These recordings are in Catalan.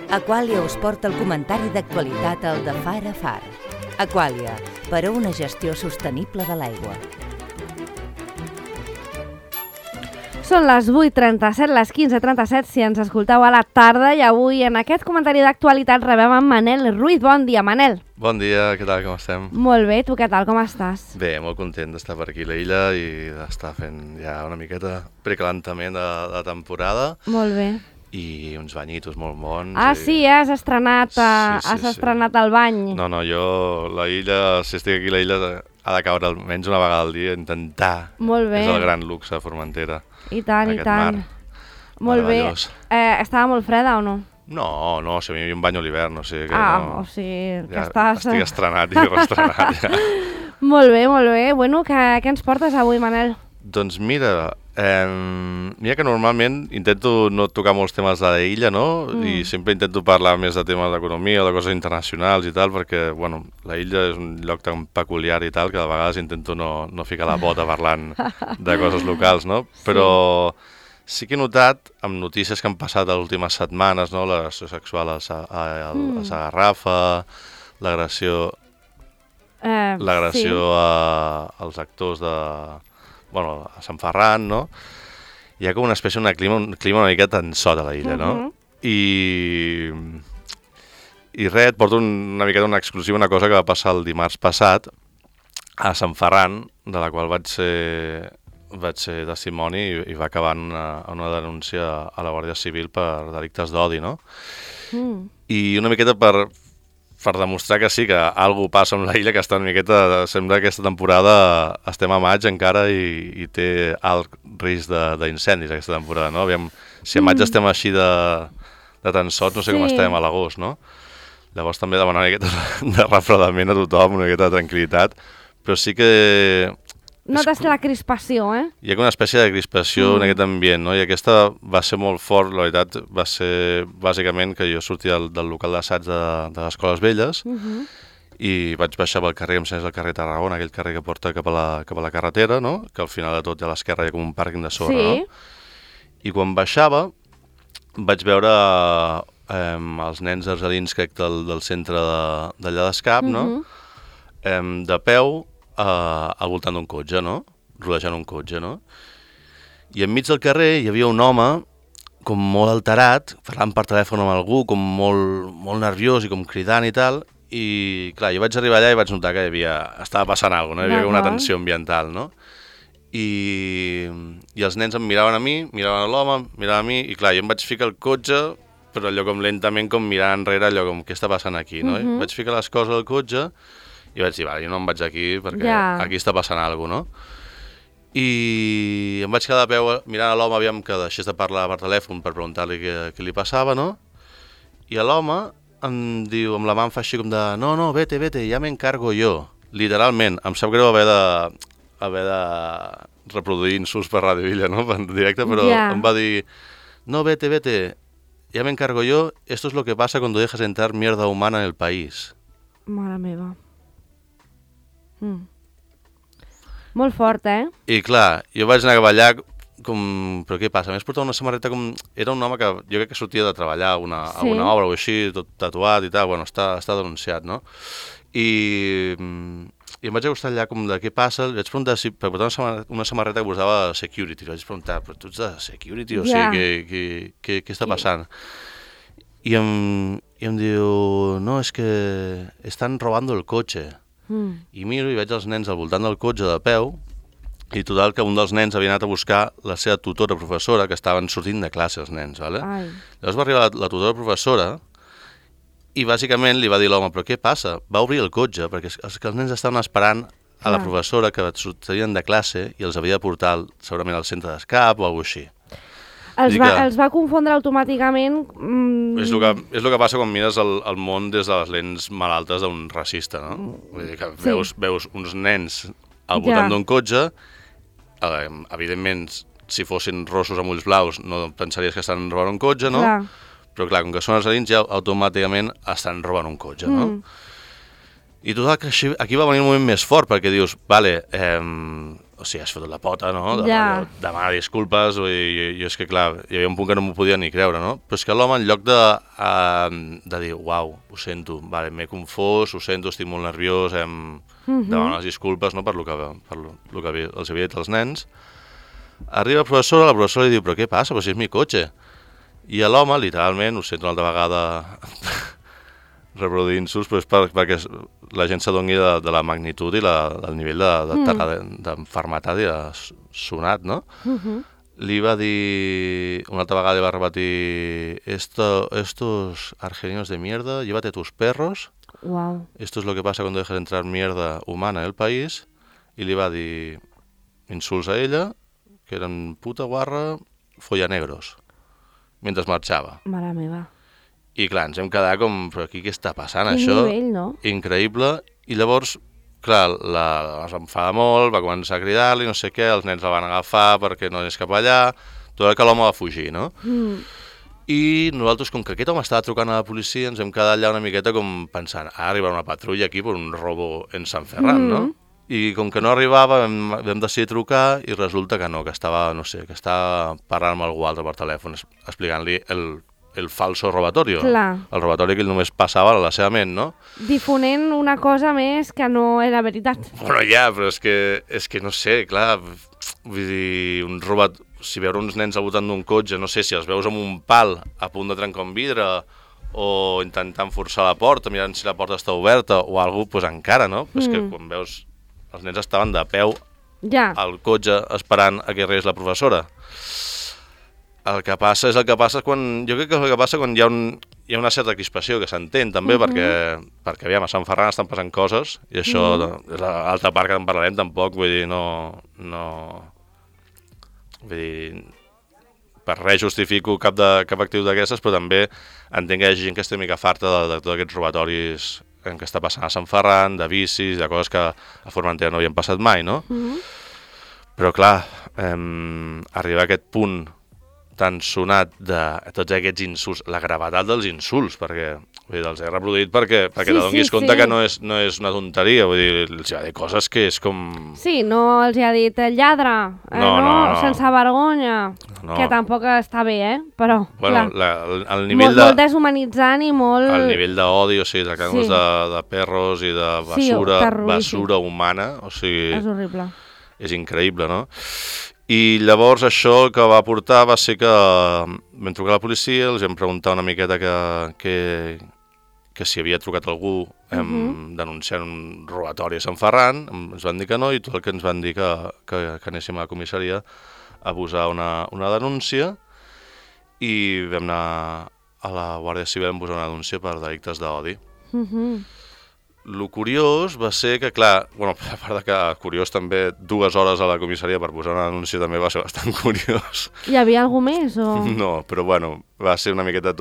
Aqualia us porta el comentari d'actualitat al de Far a Far. Aqualia, per a una gestió sostenible de l'aigua. Són les 8:37, les 15:37, si ens escolteu a la tarda, i avui en aquest comentari d'actualitat rebem en Manel Ruiz. Bon dia, Manel. Bon dia, què tal, com estem? Molt bé, tu què tal, com estàs? Bé, molt content d'estar per aquí a l'illa i d'estar fent ja una miqueta precalentament de temporada. Molt bé. I uns banyitos molt bons. Ah, sí, has estrenat, estrenat el bany. No, jo, la illa, si estic aquí a la illa, ha de caure almenys una vegada al dia, intentar. Molt bé. És el gran luxe de Formentera. I tant, aquest i tant. mar. Molt bé. Estava molt freda o no? No, si a mi hi havia un bany a l'hivern, o sigui que o sigui que ja estàs... Estic estrenat i reestrenat, ja. Molt bé, molt bé. Bueno, què ens portes avui, Manel? Doncs mira que normalment intento no tocar molts temes de l'illa, no? I sempre intento parlar més de temes d'economia o de coses internacionals i tal, perquè, bueno, la illa és un lloc tan peculiar i tal que de vegades intento no ficar la bota parlant de coses locals, no? Però sí que he notat, amb notícies que han passat les últimes setmanes, no? L'agressió sexual a Sagarrafa, l'agressió als actors a Sant Ferran, no? Hi ha com una espècie de clima una mica tensot a la illa, no? I res, et porto una miqueta una exclusiva, una cosa que va passar el dimarts passat a Sant Ferran, de la qual vaig ser testimoni i va acabar en una denúncia a la Guàrdia Civil per delictes d'odi, no? I una miqueta per demostrar que sí, que alguna passa amb la illa, que està una miqueta... Sembla que aquesta temporada estem a maig encara i té alt risc d'incendis aquesta temporada, no? Aviam, si a maig estem així de tensot, no sé com estem a l'agost, no? Llavors també demanar una miqueta de refredament a tothom, una miqueta de tranquil·litat, però sí que... Notes la crispació, Hi ha una espècie de crispació en aquest ambient, no? I aquesta va ser molt fort, la veritat, va ser bàsicament que jo sortia del local d'assaig de les Escoles Velles i vaig baixar pel carrer, em sembla el carrer Tarragona, aquell carrer que porta cap a la carretera, no? Que al final de tot a l'esquerra hi ha com un pàrquing de sorra, no? I quan baixava vaig veure els nens argelins, crec, del centre d'allà d'Escap, no? De peu, al voltant d'un cotxe, no? Rodejant un cotxe, no? I enmig del carrer hi havia un home com molt alterat, parlant per telèfon amb algú, com molt nerviós i com cridant i tal, i clar, jo vaig arribar allà i vaig notar que estava passant alguna cosa, no? Hi havia una tensió ambiental, no? I els nens em miraven a mi, miraven a l'home, miraven a mi, i clar, jo em vaig ficar al cotxe, però allò com lentament, com mirant enrere, allò com, què està passant aquí, no? I vaig ficar les coses al cotxe, i vaig dir, vale, jo no em vaig aquí perquè aquí està passant alguna cosa, no? I em vaig quedar de peu mirant a l'home, aviam que deixés de parlar per telèfon per preguntar-li què li passava, no? I l'home em diu, amb la mà em fa així com de, no, vete, ja m'encargo jo. Literalment, em sap greu haver de reproduir insults per Ràdio Illa, no? En directe, però em va dir, no, vete, ya me encargo yo, esto es lo que pasa cuando dejas entrar mierda humana en el país. Mare meva. Molt fort, I clar, jo vaig anar cap allà com... Però què passa? A més portava una samarreta com... Era un home que jo crec que sortia de treballar a una obra o així, tot tatuat i tal, bueno, està denunciat, no? I em vaig acostar allà com de què passa, li vaig preguntar si per portar una samarreta que posava security, li vaig preguntar, però tu ets de security? O sigui, què està passant? I em diu, no, és que estan robando el cotxe. I miro i veig els nens al voltant del cotxe de peu i total que un dels nens havia anat a buscar la seva tutora professora, que estaven sortint de classe els nens, ¿vale? Llavors va arribar la tutora professora i bàsicament li va dir a l'home, però què passa? Va obrir el cotxe perquè els nens estaven esperant a la professora que sortien de classe i els havia de portar segurament al centre d'escap o alguna cosa així. Els va confondre automàticament... És el que passa quan mires el món des de les lents malaltes d'un racista, no? Vull dir que veus uns nens al voltant d'un cotxe, evidentment, si fossin rossos amb ulls blaus no pensaries que estan robant un cotxe, no? Però clar, com que són argelins ja automàticament estan robant un cotxe, no? I total, que aquí va venir un moment més fort, perquè dius, vale, o sigui, has fotut la pota, no? Demanar disculpes, jo és que, clar, hi havia un punt que no m'ho podia ni creure, no? Però és que l'home, en lloc de dir, uau, ho sento, vale, m'he confós, ho sento, estic molt nerviós, demanar les disculpes, no?, per lo que els havia dit als nens, arriba la professora li diu, però què passa, però si és mi cotxe? I l'home, literalment, ho sento una altra vegada reproduir insults, però és perquè la gent s'adoni de la magnitud i del nivell d'enfermetat i de sonat, no? Li va dir, una altra vegada li va repetir, estos argelinos de mierda, llévate tus perros, esto es lo que pasa cuando dejas entrar mierda humana en el país, i li va dir insults a ella, que eren puta, guarra, follanegros, mentre marxava. Mare meva. I clar, ens hem quedat com, però aquí què està passant, Quin això? nivell, no? Increïble. I llavors, clar, es va enfadar molt, va començar a cridar-li, no sé què, els nens la van agafar perquè no anés cap allà, tot que l'home va fugir, no? I nosaltres, com que aquest home estava trucant a la policia, ens hem quedat allà una miqueta com pensant, ara arribarà una patrulla aquí per un robo en Sant Ferran, no? I com que no arribava, vam decidir trucar i resulta que no, que estava, no sé, que estava parlant amb algú altre per telèfon, explicant-li el falso robatorio. Clar. El robatori que ell només passava a la seva ment, no? Difonent una cosa més que no era veritat. Bueno, ja, però és que no sé, clar, vull dir, si veure uns nens al voltant d'un cotxe, no sé, si els veus amb un pal a punt de trencar un vidre o intentant forçar la porta, mirant si la porta està oberta o alguna cosa, doncs encara, no? Però és que quan veus, els nens estaven de peu al cotxe esperant a que arribés la professora. El que passa és el que passa quan... Jo crec que és el que passa quan hi ha una certa crispació, que s'entén també, perquè aviam, a Sant Ferran estan passant coses, i això és l'altra part que en parlarem tampoc, vull dir, vull dir, per res justifico cap actiu d'aquestes, però també entenc que hi ha gent que està una mica farta de tots aquests robatoris en què està passant a Sant Ferran, de bicis, de coses que a Formentera no havien passat mai, no? Però clar, arribar a aquest punt tan sonat de tots aquests insults, la gravetat dels insults, perquè els he reproduït perquè t'adonis compte que no és una tonteria, vull dir, els ha dit coses que és com... Sí, no els ha dit lladre, no, sense vergonya, que tampoc està bé, però, bueno, clar, el nivell molt deshumanitzant i molt... El nivell d'odi, o sigui, tractant-los de perros i de basura humana, o sigui... És horrible. És increïble, no? I llavors això el que va portar va ser que vam trucar a la policia, els vam preguntar una miqueta que si havia trucat algú denunciant un robatori a Sant Ferran, ens van dir que no, i tot el que ens van dir que anéssim a la comissaria a posar una denúncia, i vam anar a la Guàrdia Civil a posar una denúncia per delictes d'odi. Lo curiós va ser que, clar, bueno, a part de que curiós també 2 hores a la comissaria per posar una denúncia també va ser bastant curiós. Hi havia algú més o...? No, però bueno, va ser una miqueta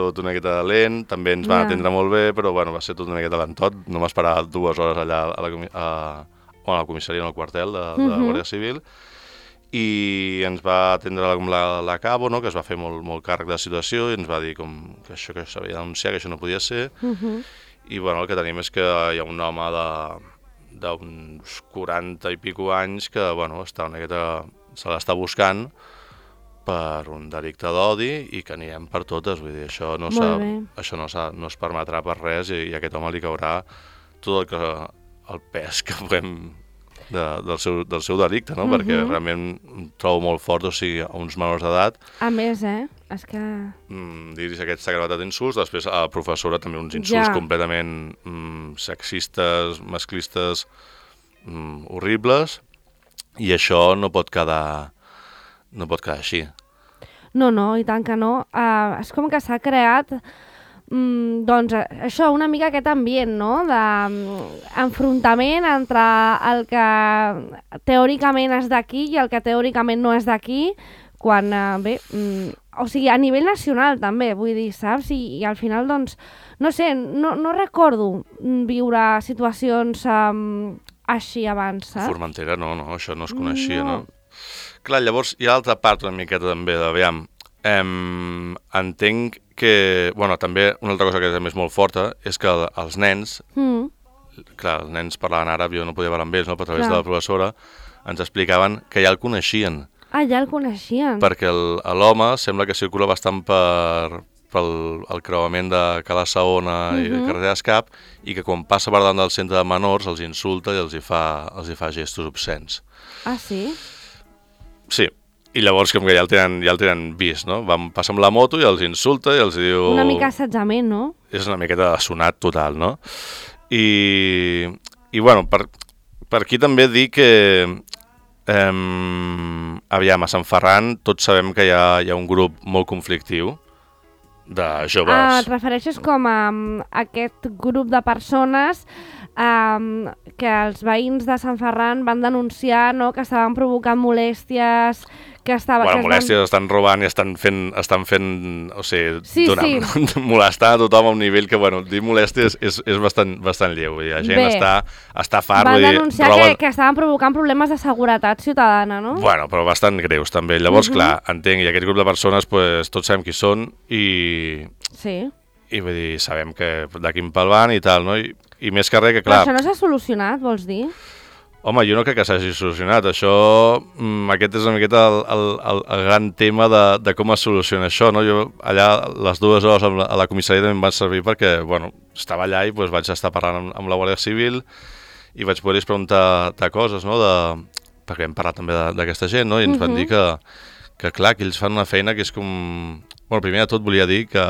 lent, també ens van atendre molt bé, però bueno, va ser tot una miqueta lentot, no m'esperava 2 hores allà a la comissaria, en el quartel de la Guàrdia Civil, i ens va atendre la Cabo, no?, que es va fer molt càrrec de la situació, i ens va dir que això que s'havia de denunciar, que això no podia ser, i bueno, el que tenim és que hi ha un home d'uns 40 i pico anys que bueno, se l'està buscant per un delicte d'odi i que anirem per totes, vull dir, això no es permetrà per res, i a aquest home li caurà tot el pes que puguem del seu delicte, no? Perquè realment em trobo molt fort, o sigui, a uns menors d'edat. A més, és que... Dir-hi aquesta gravetat d'insults, després a la professora també uns insults completament sexistes, masclistes, horribles, i això no pot quedar així. No, i tant que no. És com que s'ha creat doncs això, una mica aquest ambient, no?, d'enfrontament entre el que teòricament és d'aquí i el que teòricament no és d'aquí, quan, o sigui, a nivell nacional també, vull dir, saps? I al final, doncs, no sé, no recordo viure situacions així abans, saps? Formentera no, això no es coneixia, no? Clar, llavors hi ha l'altra part una miqueta també, d'aviam, entenc que, bueno, també una altra cosa que també és molt forta és que als nens clar, els nens parlaven àrab, jo no podia parlar amb ells, no? Però a través de la professora ens explicaven que ja el coneixien. Ah, ja el coneixien. Perquè l'home sembla que circula bastant pel creuament de Cala Saona i carrer d'Escap, i que quan passa per davant del centre de menors els insulta i els hi fa gestos obscens. Ah, sí? Sí, i llavors com que ja el tenen vist, no? Van passar amb la moto i els insulta i els diu... Una mica assetjament, no? És una miqueta sonat total, no? I bueno, per aquí també dir que aviam, a Sant Ferran tots sabem que hi ha un grup molt conflictiu de joves. Ah, et refereixes com a aquest grup de persones que els veïns de Sant Ferran van denunciar, no?, que estaven provocant molèsties, molèsties, estan robant i estan fent, o sigui, molestar a tothom a un nivell que, bueno, dir molèsties és bastant lleu. La gent està fart. Van denunciar que estaven provocant problemes de seguretat ciutadana, no? Bueno, però bastant greus, també. Llavors, clar, entenc, i aquest grup de persones, pues, tots sabem qui són i vull dir, sabem que de quin pal van i tal, no? I més que res que, clar... Però això no s'ha solucionat, vols dir? Home, jo no crec que s'hagi solucionat. Això, aquest és una miqueta el gran tema de com es soluciona això, no? Jo allà, les 2 hores a la comissaria també em van servir perquè, bueno, estava allà i doncs, vaig estar parlant amb la Guàrdia Civil i vaig poder-los preguntar coses, no? Perquè hem parlat també d'aquesta gent, no? I ens van dir que, clar, que ells fan una feina que és com... Bueno, primer de tot volia dir que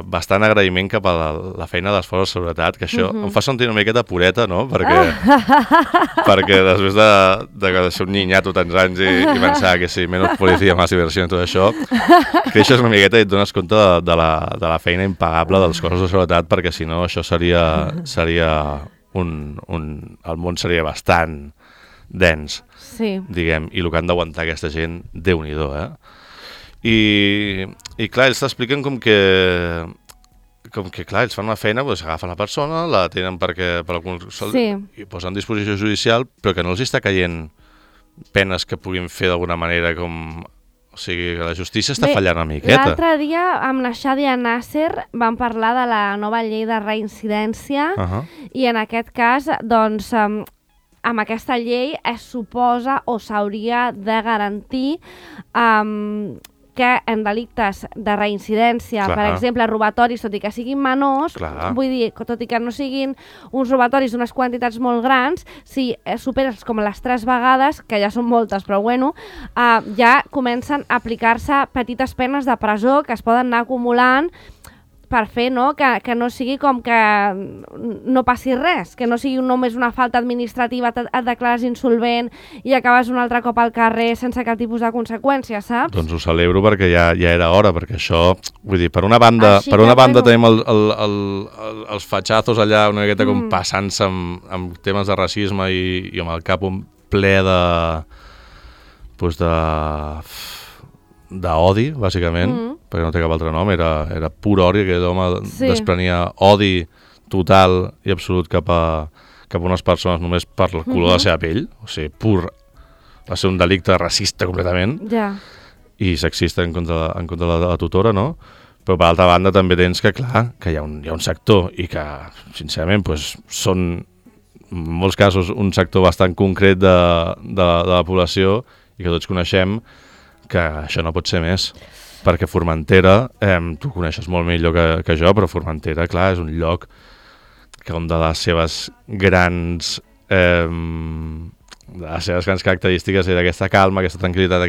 bastant agraïment cap a la feina de les forces de seguretat, que això em fa sentir una miqueta pureta, no? Perquè després de ser un niñato tants anys i pensar que sí, menys policia, més diversió i tot això, creixes una miqueta i et dones compte de la feina impagable dels cossos de seguretat, perquè si no això seria el món seria bastant dens, diguem, i el que han d'aguantar aquesta gent, Déu-n'hi-do, I clar, ells t'expliquen com que clar, ells fan una feina, doncs agafen la persona, la tenen i posen a disposició judicial, però que no els està caient penes que puguin fer d'alguna manera com... O sigui, que la justícia està fallant una miqueta. L'altre dia amb la Xadia Nasser vam parlar de la nova llei de reincidència i en aquest cas, doncs, amb aquesta llei es suposa o s'hauria de garantir que en delictes de reincidència, per exemple, robatoris, tot i que siguin menors, vull dir, tot i que no siguin uns robatoris d'unes quantitats molt grans, si superes com les 3 vegades, que ja són moltes, però bueno, ja comencen a aplicar-se petites penes de presó que es poden anar acumulant per fer, no?, que no sigui com que no passi res, que no sigui només una falta administrativa, et declares insolvent i acabes un altre cop al carrer sense cap tipus de conseqüència, saps? Doncs ho celebro perquè ja era hora, perquè això, vull dir, per una banda tenim els fatxazos allà una miqueta com passant-se amb temes de racisme i amb el cap ple d'odi, bàsicament, perquè no té cap altre nom, era pur odi, que l'home desprenia odi total i absolut cap a unes persones només per el color de la seva pell, o sigui, va ser un delicte racista completament i sexista en contra de la tutora, no? Però per altra banda també tens que, clar, que hi ha un sector i que, sincerament, són en molts casos un sector bastant concret de la població i que tots coneixem que això no pot ser més, perquè Formentera, tu coneixes molt millor que jo, però Formentera, clar, és un lloc que una de les seves grans característiques és aquesta calma, aquesta tranquil·litat,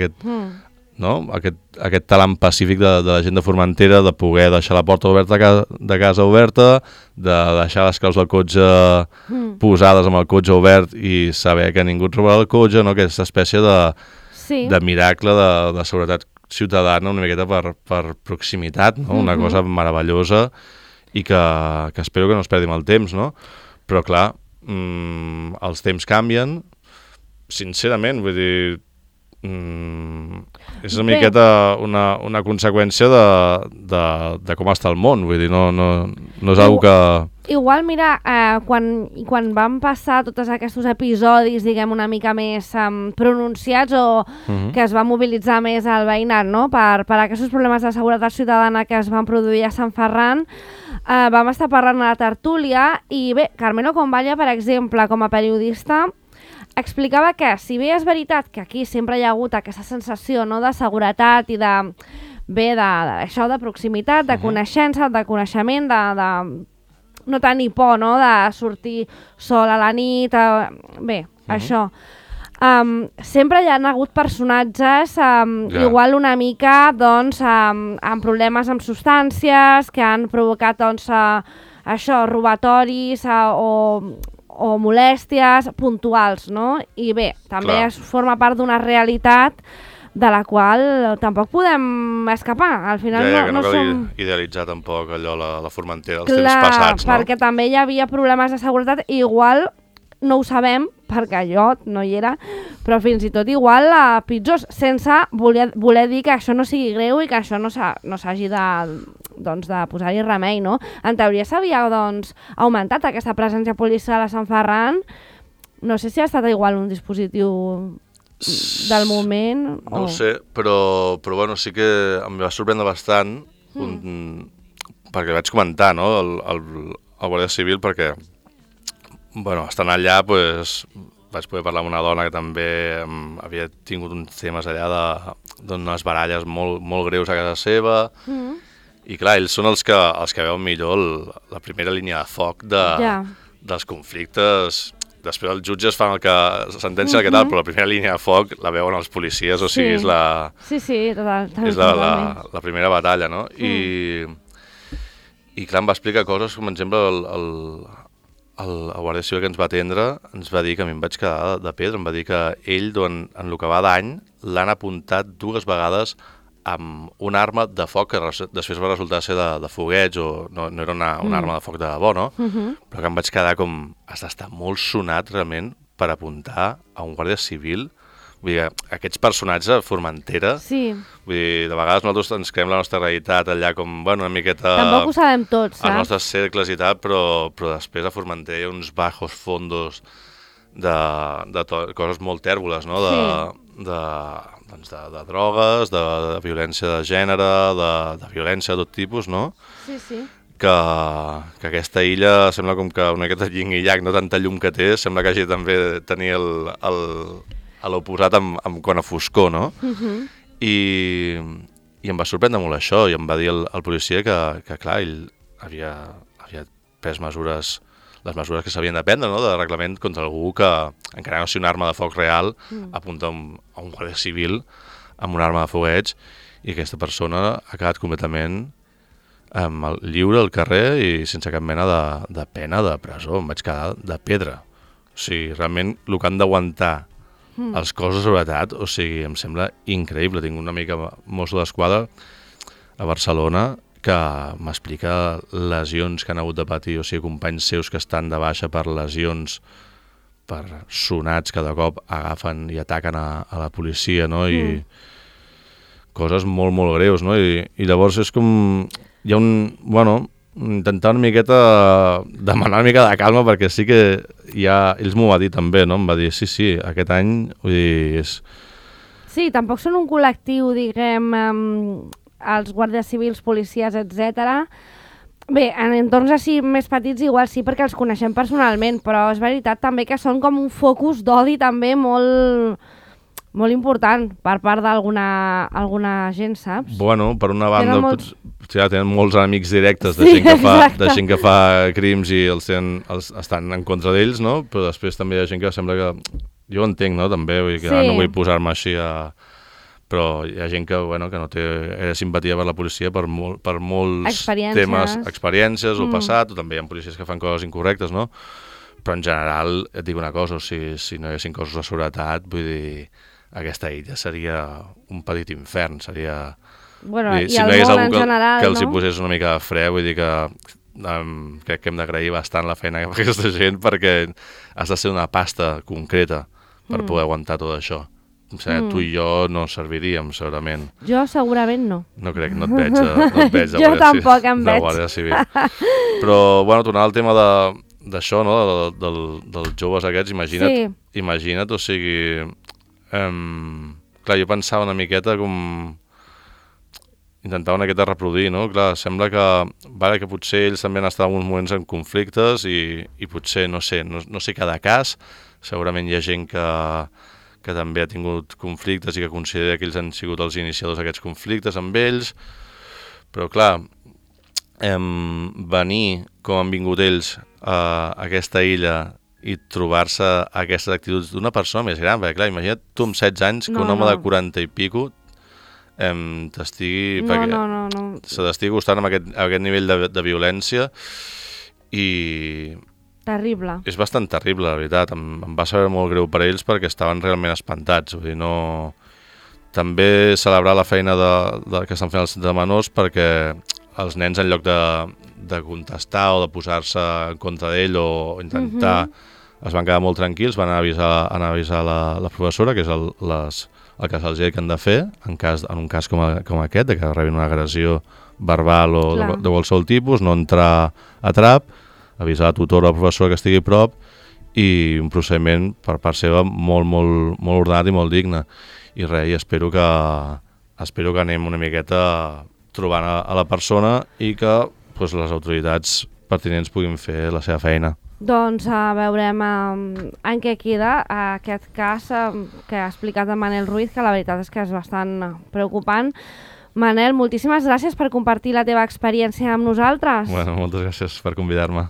aquest talent pacífic de la gent de Formentera, de poder deixar la porta oberta de casa oberta, de deixar les claus del cotxe posades amb el cotxe obert i saber que ningú et robarà el cotxe, no? Aquesta espècie de miracle de seguretat ciutadana una miqueta per proximitat, no? Una cosa meravellosa i que espero que no es perdi el temps, no? Però clar, els temps canvien, sincerament, vull dir, És una miqueta una conseqüència de com està el món, vull dir, no és una que... Igual, mira, quan van passar tots aquests episodis, diguem, una mica més pronunciats o que es va mobilitzar més el veïnat, no?, per aquests problemes de seguretat ciutadana que es van produir a Sant Ferran, vam estar parlant a la tertúlia i bé, Carmelo Convalla, per exemple, com a periodista, explicava que, si bé és veritat que aquí sempre hi ha hagut aquesta sensació, no?, de seguretat i de, bé, d'això de proximitat, de coneixença, de coneixement, de no tenir por, no?, de sortir sol a la nit, bé, això. Sempre hi ha hagut personatges igual una mica, doncs, amb problemes amb substàncies, que han provocat, doncs, això, robatoris o molèsties puntuals, no? I bé, també forma part d'una realitat de la qual tampoc podem escapar. Al final no cal idealitzar tampoc allò, la Formentera dels temps passats, no? Perquè també hi havia problemes de seguretat, igual no ho sabem, perquè jo no hi era, però fins i tot igual pitjors, sense voler dir que això no sigui greu i que això no s'hagi de posar-hi remei, no? En teoria s'havia, doncs, augmentat aquesta presència policial a Sant Ferran. No sé si ha estat igual un dispositiu del moment. No ho sé, però bueno, sí que em va sorprendre bastant perquè vaig comentar, no?, el Guàrdia Civil, perquè bueno, estant allà, pues, vaig poder parlar amb una dona que també havia tingut uns temes allà d'unes baralles molt greus a casa seva, i clar, ells són els que veuen millor la primera línia de foc dels conflictes. Després els jutges fan el que sentencien el que tal, però la primera línia de foc la veuen els policies, o sigui, és la primera batalla, no? I clar, em va explicar coses com, per exemple, el guàrdia civil que ens va atendre ens va dir que a mi em vaig quedar de pedra, em va dir que ell, en el que va d'any, l'han apuntat 2 vegades amb una arma de foc que després va resultar ser de fogueig, o no era una arma de foc de debò, no? Però que em vaig quedar com, has d'estar molt sonat realment per apuntar a un guàrdia civil. Vull dir, aquests personatges a Formentera, vull dir, de vegades nosaltres ens creem la nostra realitat allà com, bueno, una miqueta... Tampoc ho sabem tots, saps? Els nostres cercles i tal, però després a Formentera hi ha uns bajos fondos de coses molt tèrboles, no? De drogues, de violència de gènere, de violència de tot tipus, no? Sí. Que aquesta illa sembla com que una miqueta yin i yang, no tanta llum que té, sembla que hagi també de tenir a l'oposat amb quant a foscor, no? I em va sorprendre molt això, i em va dir el policia que clar, ell havia pres les mesures que s'havien de prendre, no?, de reglament contra algú que, encara no sigui una arma de foc real, apunta a un guàrdia civil amb una arma de fogueig, i aquesta persona ha quedat completament lliure al carrer i sense cap mena de pena de presó. Em vaig quedar de pedra. O sigui, realment, el que han d'aguantar els cossos de seguretat, o sigui, em sembla increïble. Tinc una mica mosso d'esquadra a Barcelona que m'explica lesions que han hagut de patir, o sigui, companys seus que estan de baixa per lesions, per sonats que de cop agafen i ataquen a la policia, no? I coses molt, molt greus, no? I llavors és com... Hi ha intentar una miqueta demanar una mica de calma, perquè sí que ells m'ho va dir també, no? Em va dir, sí, aquest any, vull dir, és... Sí, tampoc són un col·lectiu, diguem, els guàrdies civils, policies, etc. Bé, en entorns així més petits igual sí, perquè els coneixem personalment, però és veritat també que són com un focus d'odi també molt important per part d'alguna gent, saps? Bueno, per una banda, tenen molts enemics directes de gent que fa crims i estan en contra d'ells, no? Però després també hi ha gent que sembla que... Jo ho entenc, no?, també, vull dir que no vull posar-me així però hi ha gent que no té simpatia per la policia per molts temes, experiències o passat, o també hi ha policies que fan coses incorrectes, no? Però en general, et dic una cosa, o sigui, si no hi haguessin cossos de seguretat, vull dir, aquesta illa seria un petit infern, seria... Bueno, i el món en general, que els hi posés una mica de fre, vull dir que crec que hem d'agrair bastant la feina que fa aquesta gent, perquè has de ser una pasta concreta per poder aguantar tot això. tu i jo no serviríem, segurament. Jo segurament no. No crec, no et veig de Jo tampoc em veig. Guàrdia Civil. Però, bueno, tornant al tema d'això, no? Dels joves aquests, imagina't, o sigui... clar, jo pensava una miqueta com... Intentava una miqueta reproduir, no? Clar, sembla que potser ells també han estat en uns moments en conflictes i potser, no sé cada cas, segurament hi ha gent que també ha tingut conflictes i que considera que ells han sigut els iniciadors d'aquests conflictes amb ells, però clar, venir com han vingut ells a aquesta illa i trobar-se aquestes actituds d'una persona més gran, perquè clar, imagina't tu amb 16 anys que un home de 40 i pico t'estigui... Se t'estigui gustant amb aquest nivell de violència i... Terrible. És bastant terrible, la veritat. Em va saber molt greu per ells perquè estaven realment espantats. Vull dir, no... També celebrar la feina que estan fent els de menors perquè els nens, en lloc de contestar o de posar-se en contra d'ell o intentar... Es van quedar molt tranquils, van avisar la professora, que és el que se'ls ha dit que han de fer, en un cas com aquest, de que rebin una agressió verbal o de qualsevol tipus, no entrar a trap, avisar la tutora o la professora que estigui a prop i un procediment per part seva molt, molt, molt ordenat i molt digne. I res, espero que anem una miqueta trobant a la persona i que les autoritats pertinents puguin fer la seva feina. Doncs veurem en què queda aquest cas que ha explicat en Manel Ruiz, que la veritat és que és bastant preocupant. Manel, moltíssimes gràcies per compartir la teva experiència amb nosaltres. Bueno, moltes gràcies per convidar-me.